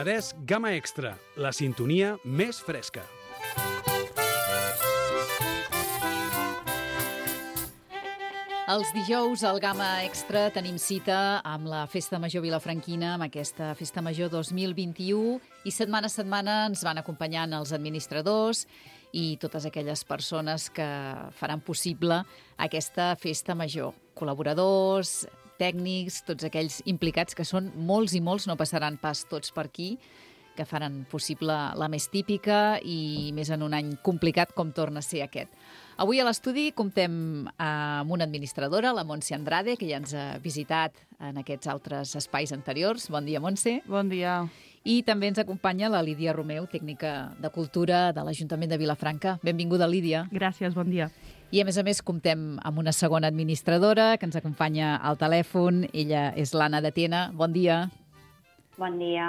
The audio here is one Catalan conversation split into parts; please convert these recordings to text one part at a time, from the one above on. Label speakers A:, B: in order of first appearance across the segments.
A: Penedès Gamma Extra, la sintonia més fresca.
B: Els dijous al Gamma Extra tenim cita amb la Festa Major Vilafranquina, amb aquesta Festa Major 2021, i setmana a setmana ens van acompanyant els administradors i totes aquelles persones que faran possible aquesta Festa Major. Col·laboradors, tècnics, tots aquells implicats, que són molts i molts, no passaran pas tots per aquí, que faran possible la més típica i més en un any complicat com torna a ser aquest. Avui a l'estudi comptem amb una administradora, la Montse Andrade, que ja ens ha visitat en aquests altres espais anteriors. Bon dia, Montse.
C: Bon dia.
B: I també ens acompanya la Lídia Romeu, tècnica de cultura de l'Ajuntament de Vilafranca. Benvinguda, Lídia.
C: Gràcies, bon dia.
B: I a més comptem amb una segona administradora que ens acompanya al telèfon. Ella és l'Anna de Tena. Bon dia.
D: Bon dia.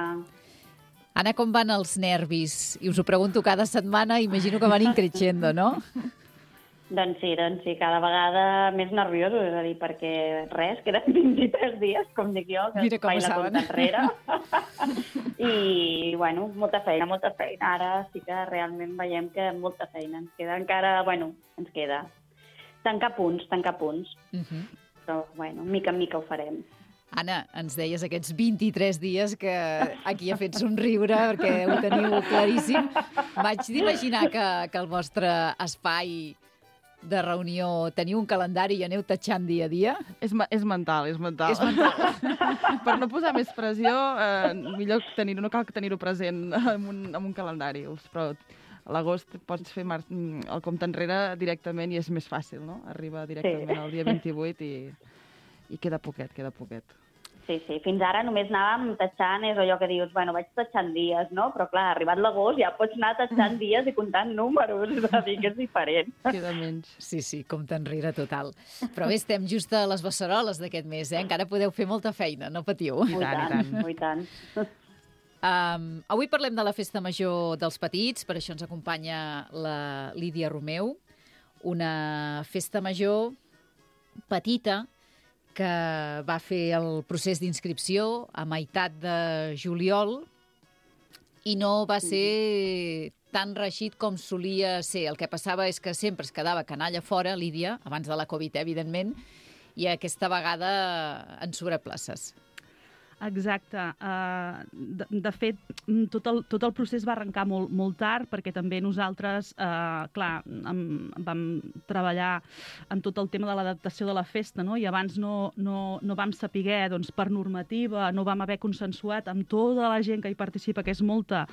B: Anna, com van els nervis? I us ho pregunto cada setmana, imagino que van increixendo, no?
D: Doncs sí, cada vegada més nerviosos, és a dir, perquè res, queden 23 dies, com dic jo, que
B: mira com
D: faig la compta enrere. I, bueno, molta feina. Ara sí que realment veiem que molta feina. Ens queda encara, ens queda tancar punts. Però, mica en mica ho farem.
B: Anna, ens deies aquests 23 dies que aquí ha fet somriure perquè ho teniu claríssim. Vaig d'imaginar que el vostre espai de reunió teniu un calendari i aneu tatxant dia a dia?
C: És mental. Per no posar més pressió, millor no cal tenir-ho present en un calendari. Però a l'agost pots fer el compte enrere directament i és més fàcil, no? Arriba directament al dia 28 i queda poquet.
D: Sí, fins ara només anàvem tatxant, és allò que dius, vaig tatxant dies, no? Però clar, arribat l'agost ja pots anar tatxant dies i comptant números, és a dir, que és diferent.
C: Queda menys.
B: Sí, compte enrere total. Però bé, estem just a les beceroles d'aquest mes, encara podeu fer molta feina, no patiu.
D: I tant.
B: Avui parlem de la Festa Major dels Petits, per això ens acompanya la Lídia Romeu, una festa major petita, que va fer el procés d'inscripció a meitat de juliol i no va ser tan reeixit com solia ser. El que passava és que sempre es quedava canalla fora, Lídia, abans de la Covid, evidentment, i aquesta vegada en sobreplaces.
C: Exacte. De fet, tot el procés va arrencar molt tard, perquè també nosaltres, vam treballar en tot el tema de l'adaptació de la festa, no? I abans no vam saber, doncs, per normativa, no vam haver consensuat amb tota la gent que hi participa, que és molta,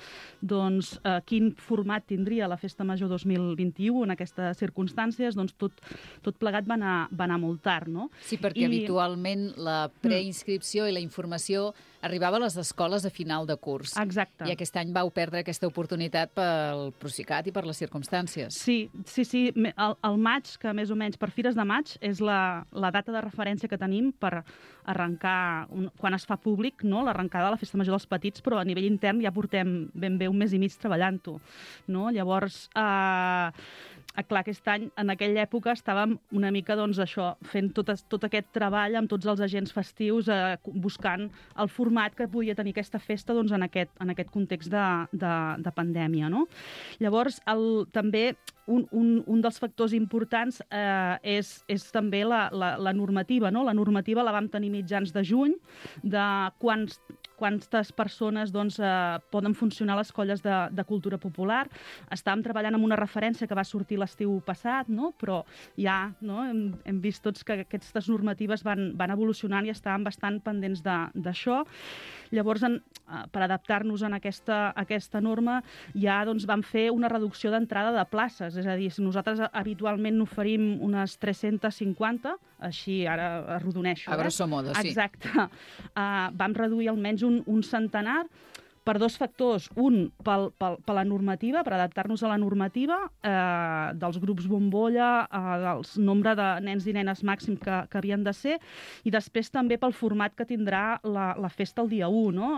C: doncs, quin format tindria la Festa Major 2021 en aquestes circumstàncies, doncs tot plegat va anar molt tard, no?
B: Sí, perquè habitualment la preinscripció i la informació arribava a les escoles a final de curs.
C: Exacte.
B: I aquest any vau perdre aquesta oportunitat pel Procicat i per les circumstàncies.
C: Sí. El maig, que més o menys per Fires de Maig, és la data de referència que tenim per arrencar, quan es fa públic, no? L'arrencada de la Festa Major dels Petits, però a nivell intern ja portem ben bé un mes i mig treballant-ho. No? Llavors, clar, aquest any, en aquella època, estàvem una mica, doncs, això, fent tot aquest treball amb tots els agents festius, buscant el format que podia tenir aquesta festa, doncs, en aquest context de pandèmia, no? Llavors, també un dels factors importants és també la normativa, no? La normativa la vam tenir mitjans de juny, de quantes persones, doncs, poden funcionar les colles de cultura popular. Estàvem treballant amb una referència que va sortir l'estiu passat, no? Però ja, no? Hem vist tots que aquestes normatives van evolucionant i estàvem bastant pendents d'això. Llavors, per adaptar-nos a aquesta norma, ja, doncs, vam fer una reducció d'entrada de places. És a dir, si nosaltres habitualment n'oferim unes 350, així ara arrodoneixo.
B: A grosso modo, sí.
C: Exacte. Vam reduir almenys un centenar per dos factors. Un, per la normativa, per adaptar-nos a la normativa dels grups bombolla, del nombre de nens i nenes màxim que havien de ser, i després també pel format que tindrà la festa el dia 1.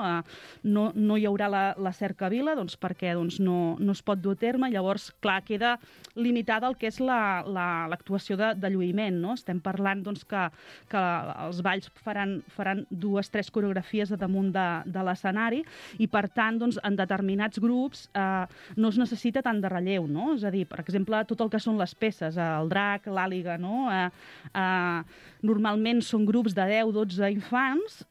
C: No hi haurà la cercavila, doncs, perquè no es pot dur a terme, llavors, clar, queda limitada el que és l'actuació de lluïment. No? Estem parlant, doncs, que els balls faran 2-3 coreografies a damunt de l'escenari, i per per tant, doncs, en determinats grups no es necessita tant de relleu, no? És a dir, per exemple, tot el que són les peces, el drac, l'àliga, no? Normalment són grups de 10-12 infants,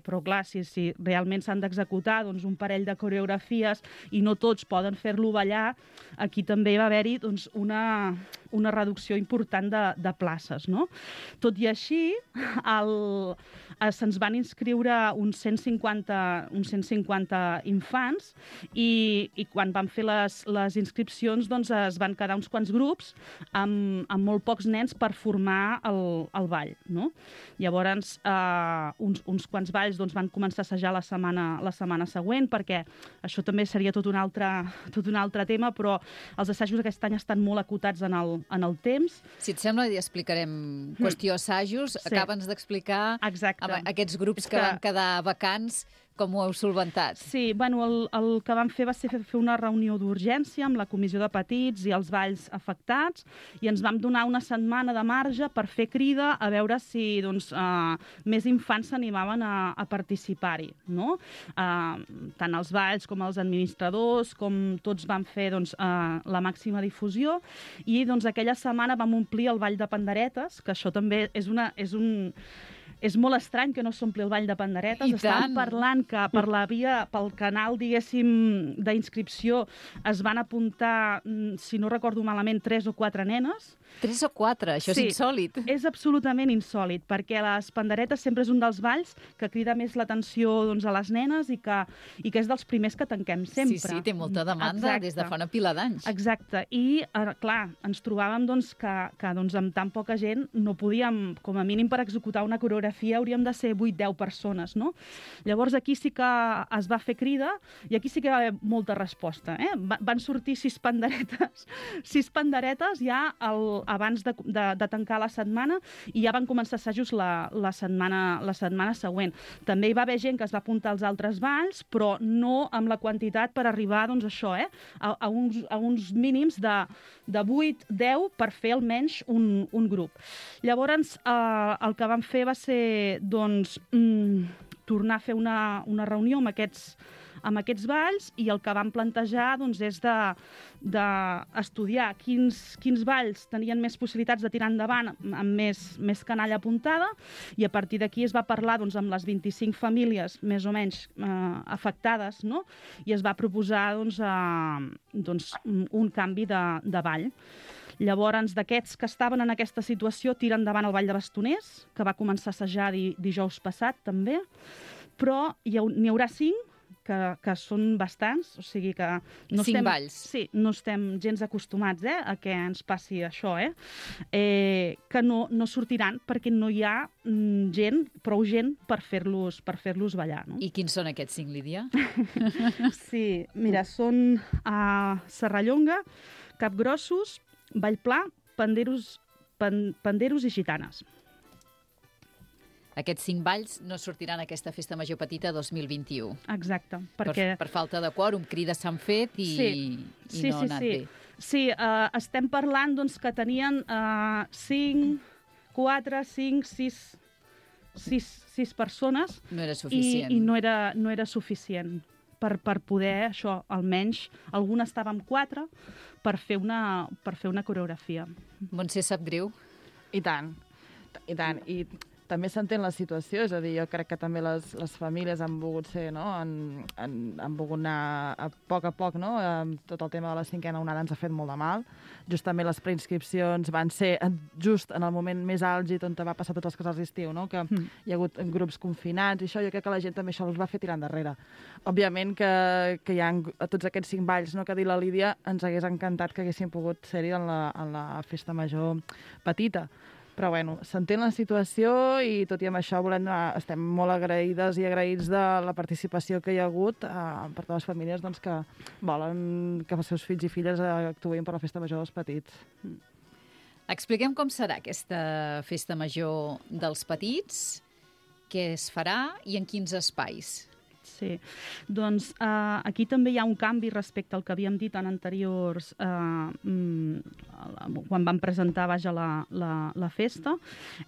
C: però clar, si realment s'han d'executar doncs, un parell de coreografies i no tots poden fer-lo ballar, aquí també va haver-hi doncs, una reducció important de places, no? Tot i així, se'ns van inscriure uns 150 infants i quan van fer les inscripcions doncs, es van quedar uns quants grups amb molt pocs nens per formar el ball, no? Llavors, uns quants balls doncs, van començar a assajar la setmana següent, perquè això també seria tot un altre tema, però els assajos aquest any estan molt acotats en el temps.
B: Si et sembla, ja explicarem qüestió assajos. Sí. Acabes d'explicar aquests grups que van quedar vacants, com ho heu solventat?
C: Sí, bueno, el que vam fer va ser fer una reunió d'urgència amb la Comissió de Petits i els balls afectats i ens vam donar una setmana de marge per fer crida a veure si doncs, més infants s'animaven a participar-hi, no? Tant els balls com els administradors, com tots van fer doncs, la màxima difusió i doncs, aquella setmana vam omplir el ball de panderetes, que això també és molt estrany que no s'ompli el ball de panderetes. Estan parlant que pel canal, diguéssim, d'inscripció es van apuntar, si no recordo malament, 3 o 4 nenes.
B: 3 o 4? Això és insòlit.
C: És absolutament insòlit, perquè les panderetes sempre és un dels balls que crida més l'atenció doncs, a les nenes i que és dels primers que tanquem sempre.
B: Sí, té molta demanda des de fa una pila d'anys.
C: Exacte. I, clar, ens trobàvem doncs, que doncs, amb tan poca gent no podíem, com a mínim per executar una coreografia, hauríem de ser 8-10 persones, no? Llavors aquí sí que es va fer crida i aquí sí que va haver molta resposta. Van sortir 6 panderetes. 6 panderetes ja abans de tancar la setmana i ja van començar assajos la setmana següent. També hi va haver gent que es va apuntar als altres balls, però no amb la quantitat per arribar doncs, això, a uns mínims de 8-10 per fer almenys un grup. Llavors, el que vam fer va ser doncs, tornar a fer una reunió amb aquests balls i el que vam plantejar doncs, és d'estudiar quins balls tenien més possibilitats de tirar endavant amb més canalla apuntada i a partir d'aquí es va parlar doncs, amb les 25 famílies més o menys afectades, no? I es va proposar doncs, un canvi de ball. Llavors, d'aquests que estaven en aquesta situació, tira endavant el Ball de Bastoners, que va començar a assajar dijous passat, també, però n'hi haurà 5 que són bastants, o sigui que...
B: 5 balls.
C: Sí, no estem gens acostumats a que ens passi això, que no sortiran perquè no hi ha prou gent per fer-los ballar. No?
B: I quins són aquests 5, Lídia?
C: Sí, mira, són Serrallonga, Capgrossos, Vallpla, Panderos i Gitanes.
B: Aquests 5 balls no sortiran a aquesta Festa Major Petita 2021.
C: Exacte.
B: Per falta de quòrum, crides s'han fet i no ha anat bé.
C: Sí, estem parlant doncs, que tenien 5, 4, 5, 6 persones.
B: No era suficient.
C: I no era suficient per poder, això, almenys, algun estava amb 4 per fer una coreografia.
B: Montse, sap greu?
E: I tant. I també s'entén la situació, és a dir, jo crec que també les famílies han volgut ser, no? Han volgut anar a poc, no? Tot el tema de la 5a onada ens ha fet molt de mal. Justament les preinscripcions van ser just en el moment més àlgid on va passar tots els casals d'estiu, no? Que hi ha hagut grups confinats i això, jo crec que la gent també això els va fer tirar endarrere. Òbviament que hi ha tots aquests 5 balls, no? Que ha dit la Lídia, ens hagués encantat que haguessin pogut ser-hi en la Festa Major Petita. Però, bueno, s'entén la situació i tot i amb això estem molt agraïdes i agraïts de la participació que hi ha hagut per totes les famílies doncs, que volen que els seus fills i filles actuïn per la Festa Major dels Petits.
B: Expliquem com serà aquesta Festa Major dels Petits, què es farà i en quins espais.
C: Sí, doncs aquí també hi ha un canvi respecte al que havíem dit en anteriors, quan vam presentar la festa.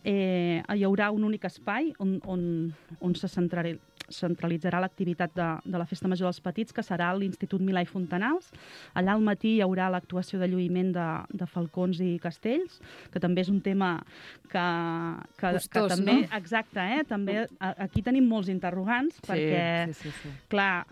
C: Hi haurà un únic espai on se centralitzarà l'activitat de la Festa Major dels Petits, que serà l'Institut Milà i Fontanals. Allà al matí hi haurà l'actuació de lluïment de falcons i castells, que també és un tema que
B: Costós,
C: també...
B: no?
C: Exacte, també aquí tenim molts interrogants, perquè, clar,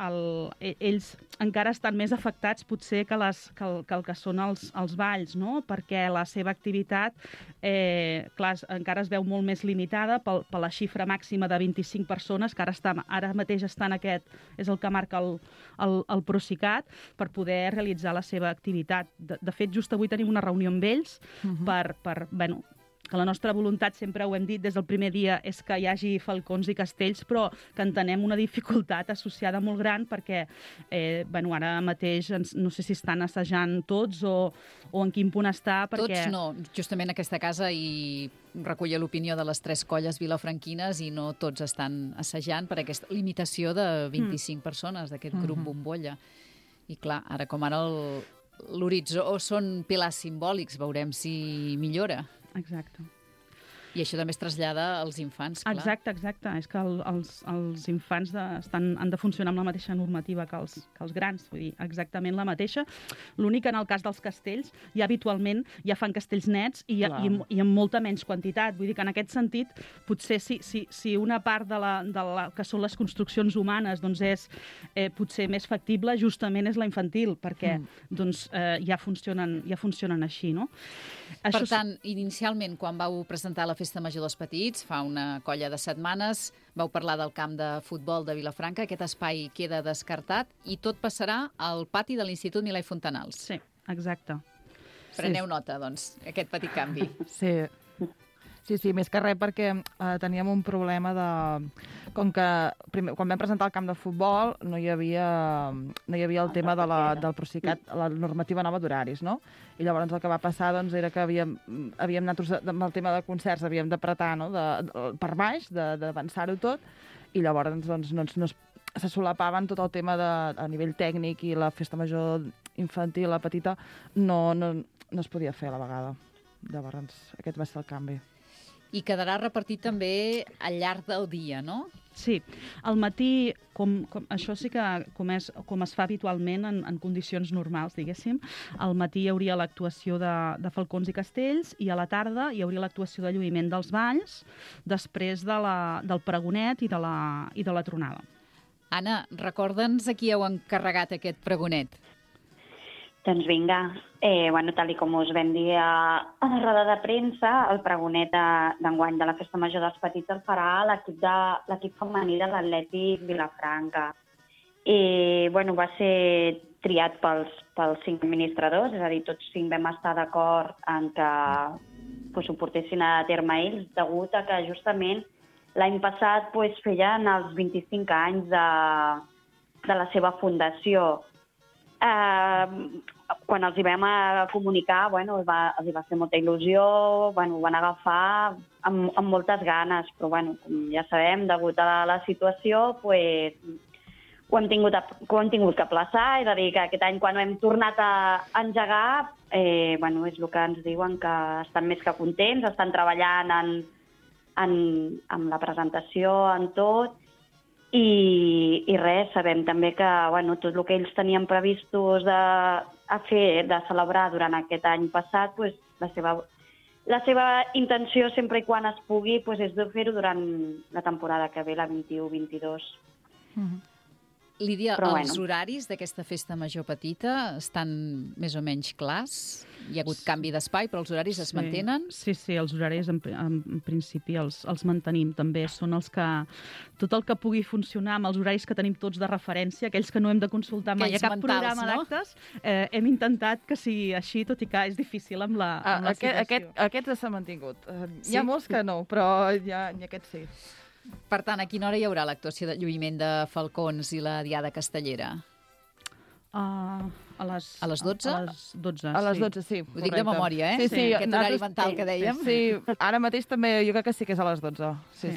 C: ells encara estan més afectats potser que el que són els balls, no? Perquè la seva activitat clar, encara es veu molt més limitada per la xifra màxima de 25 persones, que ara mateix està en aquest, és el que marca el Procicat, per poder realitzar la seva activitat. De fet, just avui tenim una reunió amb ells que la nostra voluntat, sempre ho hem dit des del primer dia, és que hi hagi falcons i castells, però que entenem una dificultat associada molt gran perquè ara mateix no sé si estan assajant tots o en quin punt està.
B: Tots no. Justament aquesta casa hi recull l'opinió de les 3 colles vilafranquines i no tots estan assajant per aquesta limitació de 25 persones d'aquest grup bombolla. I clar, ara com ara l'horitzó són pilars simbòlics, veurem si millora.
C: Exacte.
B: I això també es trasllada als infants, clar.
C: Exacte. És que els infants han de funcionar amb la mateixa normativa que els grans, vull dir, exactament la mateixa. L'únic que en el cas dels castells, habitualment ja fan castells nets i amb molta menys quantitat. Vull dir que en aquest sentit, potser si una part de que són les construccions humanes doncs és potser més factible, justament és la infantil, perquè ja funcionen així, no?
B: Per tant, inicialment, quan vau presentar la Festa Major dels Petits, fa una colla de setmanes, vau parlar del camp de futbol de Vilafranca, aquest espai queda descartat i tot passarà al pati de l'Institut Milà i Fontanals.
C: Sí, exacte.
B: Preneu nota, doncs, aquest petit canvi.
E: Sí, més que res perquè teníem un problema de... Com que quan vam presentar el camp de futbol no hi havia el tema del Procicat, la normativa nova d'horaris, no? I llavors el que va passar era que havíem anat amb el tema de concerts, havíem d'apretar per baix, d'avançar-ho tot, i llavors se solapaven tot el tema a nivell tècnic i la festa major infantil, la petita, no es podia fer a la vegada. Llavors aquest va ser el canvi.
B: I quedarà repartit també al llarg del dia, no?
C: Sí. Al matí, això sí que com es fa habitualment en condicions normals, diguéssim, al matí hi hauria l'actuació de falcons i castells i a la tarda hi hauria l'actuació de lluïment dels balls després del pregonet i de la tronada.
B: Anna, recorda'ns a qui heu encarregat aquest pregonet.
D: Doncs vinga, tal com us vam dir a la roda de premsa, el pregonet d'enguany de la Festa Major dels Petits el farà l'equip femení de l'Atlètic Vilafranca. Va ser triat pels 5 administradors, és a dir, tots 5 vam estar d'acord en que ho portessin a terme ells, degut a que justament l'any passat feien els 25 anys de la seva fundació. Quan els hi vam comunicar, els va fer molta il·lusió, ho van agafar amb moltes ganes, però com ja sabem, degut a la situació, ho hem tingut que aplaçar, és a dir, que aquest any quan ho hem tornat a engegar, és el que ens diuen, que estan més que contents, estan treballant en la presentació, en tot, i res, sabem també que tot el que ells tenien previstos de celebrar durant aquest any passat, la seva intenció, sempre i quan es pugui, és de fer-ho durant la temporada que ve, la 21-22.
B: Lídia, els horaris d'aquesta festa major petita estan més o menys clars? Hi ha hagut canvi d'espai, però els horaris es mantenen?
C: Sí, els horaris en principi els mantenim. També són els que... Tot el que pugui funcionar amb els horaris que tenim tots de referència, aquells que no hem de consultar mai a cap programa d'actes, hem intentat que sigui així, tot i que és difícil amb la situació.
E: Aquests s'han mantingut. Hi ha molts que no, però aquests sí.
B: Per tant, a quina hora hi haurà l'actuació de lluïment de falcons i la diada castellera?
C: A les
B: 12?
E: A les 12, sí.
B: Ho dic de memòria, eh?
E: Sí.
B: Aquest horari mental que dèiem.
E: Sí, ara mateix també jo crec que sí que és a les 12. Sí.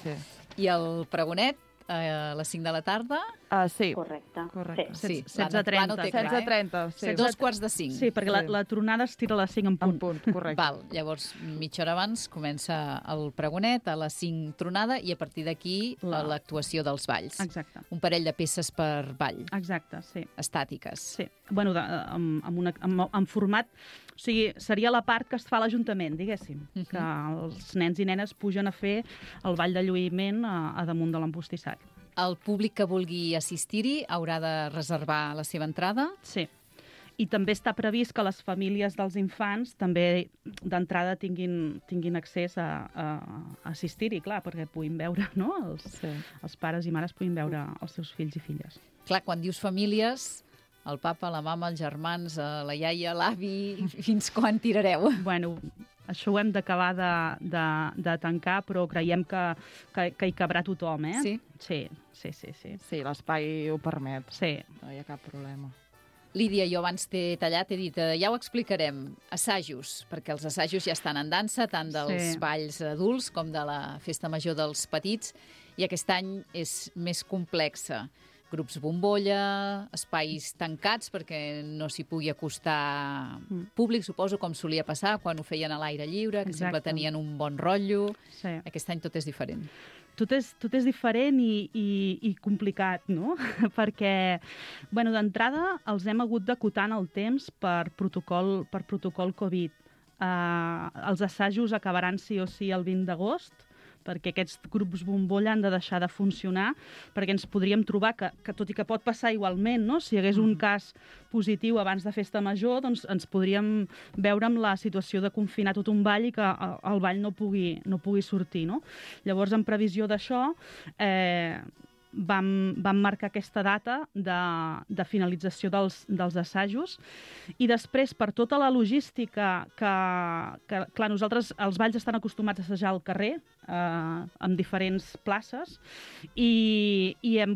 B: I el pregonet a les 5 de la tarda.
E: Sí.
D: Correcte.
B: Sí,
C: 16:30.
B: no té clar,
E: 16:30, sí.
B: 2:45.
C: Sí, perquè la tronada es tira a les 5 en punt.
E: En punt, correcte.
B: Val, llavors, mitja hora abans comença el pregonet, a les 5 tronada, i a partir d'aquí l'actuació dels balls.
C: Exacte.
B: Un parell de peces per ball,
C: Exacte, sí.
B: estàtiques.
C: Sí, bueno, en format... O sigui, seria la part que es fa a l'Ajuntament, diguéssim, que els nens i nenes pugen a fer el ball de lluïment a damunt de l'empostissat.
B: El públic que vulgui assistir-hi haurà de reservar la seva entrada?
C: Sí. I també està previst que les famílies dels infants també d'entrada tinguin accés a assistir-hi, clar, perquè puguin veure, no? Els pares i mares puguin veure els seus fills i filles.
B: Clar, quan dius famílies, el papa, la mama, els germans, la iaia, l'avi, fins quan tirareu?
C: Bueno, això ho hem d'acabar de tancar, però creiem que hi cabrà tothom, eh?
B: Sí?
C: Sí.
E: Sí, l'espai ho permet.
C: Sí.
E: No hi ha cap problema.
B: Lídia, jo abans t'he tallat, he dit, ja ho explicarem, assajos, perquè els assajos ja estan en dansa, tant dels balls adults com de la festa major dels petits, i aquest any és més complexa. Grups bombolla, espais tancats perquè no s'hi pugui acostar públic, suposo, com solia passar quan ho feien a l'aire lliure, que sempre tenien un bon rotllo.
C: Sí.
B: Aquest any tot és diferent.
C: Tot és diferent i complicat, no? Perquè, bueno, d'entrada els hem hagut d'acotar en el temps per protocol Covid. Els assajos acabaran sí o sí el 20 d'agost, perquè aquests grups bombolla han de deixar de funcionar, perquè ens podríem trobar que tot i que pot passar igualment, no? Si hi hagués un cas positiu abans de festa major, doncs ens podríem veure amb la situació de confinar tot un ball i que el ball no pugui sortir, no? Llavors, en previsió d'això, vam marcar aquesta data de finalització dels assajos i després, per tota la logística que clar, nosaltres els balls estan acostumats a assajar al carrer, en diferents places, i hem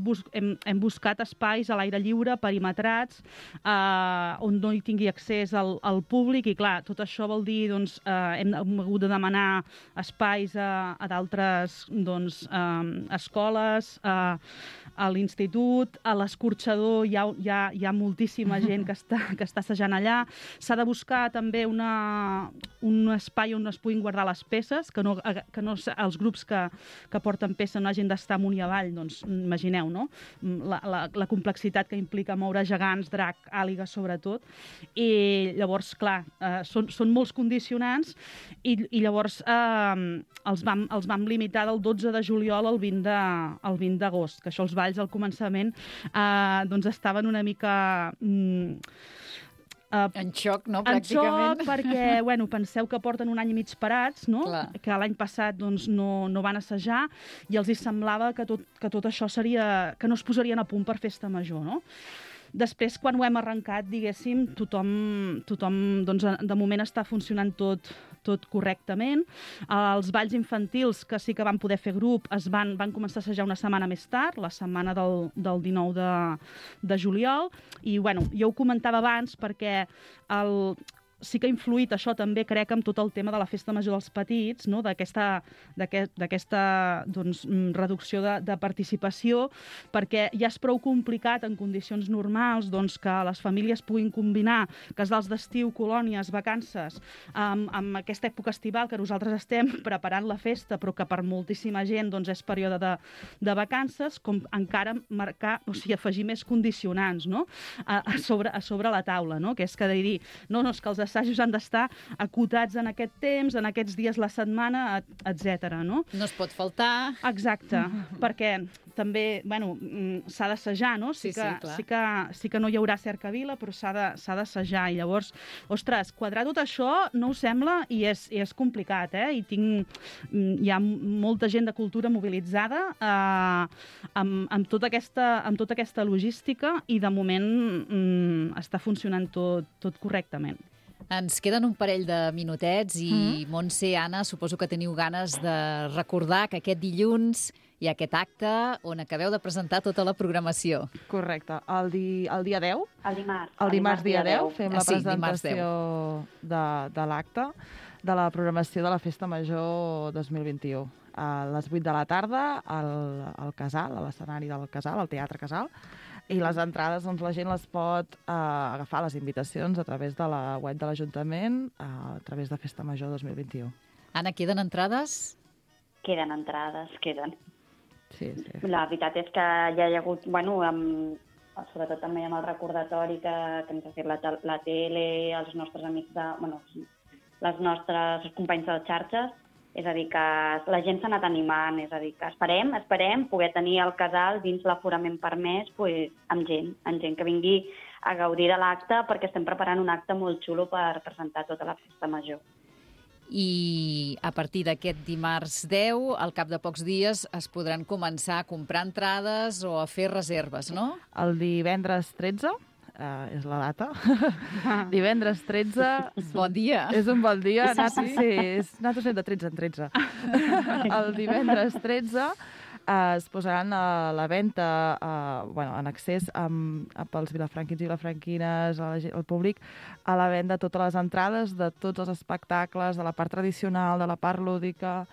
C: buscat espais a l'aire lliure, perimetrats, on no hi tingui accés al públic, i clar, tot això vol dir, doncs, hem hagut de demanar espais a d'altres, doncs, escoles, a l'institut, a l'escorxador hi ha moltíssima gent que està assajant allà. S'ha de buscar també un espai on es puguin guardar les peces, que no els grups que porten peça no hagin d'estar amunt i avall, doncs imagineu, no? La complexitat que implica moure gegants, drac, àligues, sobretot. I llavors, clar, són molts condicionants i llavors els vam limitar del 12 de juliol al 20 d'agost, que això els balls al començament doncs estaven una mica...
B: en xoc, no? Pràcticament.
C: En xoc, perquè, bueno, penseu que porten un any i mig parats, no?
B: Clar.
C: Que l'any passat doncs, no van assajar i els hi semblava que tot això seria... que no es posarien a punt per festa major, no? Després, quan ho hem arrencat, diguéssim, tothom doncs, de moment està funcionant tot correctament. Els balls infantils, que sí que van poder fer grup, van començar a assajar una setmana més tard, la setmana del 19 de juliol. I, bueno, jo ho comentava abans perquè sí que ha influït això també, crec, amb tot el tema de la festa major dels petits, no? d'aquesta doncs, reducció de participació, perquè ja és prou complicat en condicions normals doncs, que les famílies puguin combinar casals d'estiu, colònies, vacances, amb aquesta època estival que nosaltres estem preparant la festa, però que per moltíssima gent doncs, és període de vacances, com encara afegir més condicionants, no? a sobre la taula, no? Que és que dir, no, és que els assajos han d'estar acotats en aquest temps, en aquests dies la setmana, etc. No?
B: No es pot faltar.
C: Exacte, perquè també, bueno, s'ha d'assajar, no? Sí que no hi haurà cercavila, però s'ha d'assajar. I llavors, ostres, quadrar tot això no us sembla i és complicat, eh? Hi ha molta gent de cultura mobilitzada amb tota aquesta logística i de moment està funcionant tot correctament.
B: Ens queden un parell de minutets i Montse, Anna, suposo que teniu ganes de recordar que aquest dilluns hi ha aquest acte on acabeu de presentar tota la programació.
E: Correcte. El dia 10?
D: El dimarts.
E: El dimarts dia 10 fem la
B: Sí,
E: presentació de l'acte de la programació de la Festa Major 2021. A les 8 de la tarda, al Casal, a l'escenari del Casal, al Teatre Casal, i les entrades, doncs, la gent les pot agafar les invitacions a través de la web de l'Ajuntament, a través de Festa Major 2021.
B: Anna, queden entrades?
D: Queden entrades, queden.
E: Sí.
D: La veritat és que ja hi ha hagut, sobretot també amb el recordatori que ens ha fet la tele, els nostres amics les nostres companys de les xarxes, és a dir, que la gent s'ha anat animant, és a dir, que esperem poder tenir el casal dins l'aforament permès amb gent que vingui a gaudir de l'acte, perquè estem preparant un acte molt xulo per presentar tota la Festa Major.
B: I a partir d'aquest dimarts 10, al cap de pocs dies, es podran començar a comprar entrades o a fer reserves, no?
E: El divendres 13, és la data, divendres 13...
B: Bon dia!
E: És un bon dia, nosaltres anem de 13 en 13. El divendres 13 es posaran a la venda, en accés pels vilafranquins i vilafranquines, al públic, a la venda totes les entrades de tots els espectacles, de la part tradicional, de la part lúdica,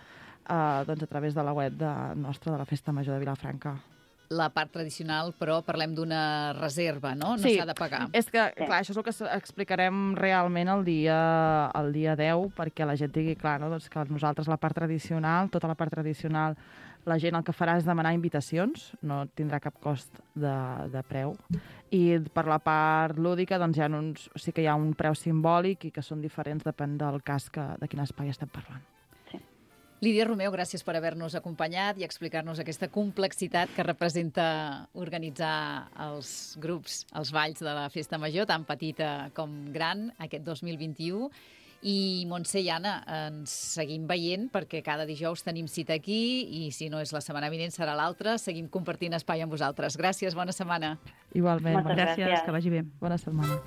E: a través de la web nostra de la Festa Major de Vilafranca.
B: La part tradicional, però parlem d'una reserva, no? No
E: Sí,
B: s'ha de pagar.
E: És que, clar, això és el que explicarem realment el dia 10, perquè la gent digui, clar, no? Doncs que nosaltres la part tradicional, tota la part tradicional, la gent el que farà és demanar invitacions, no tindrà cap cost de preu. I per la part lúdica, doncs sí que hi ha un preu simbòlic i que són diferents, depèn del cas de quin espai estem parlant.
B: Lídia Romeu, gràcies per haver-nos acompanyat i explicar-nos aquesta complexitat que representa organitzar els grups, els balls de la Festa Major, tan petita com gran, aquest 2021. I Montse i Anna, ens seguim veient perquè cada dijous tenim cita aquí i si no és la setmana vinent serà l'altra. Seguim compartint espai amb vosaltres. Gràcies, bona setmana.
E: Igualment.
D: Moltes gràcies.
C: Que vagi bé.
E: Bona setmana.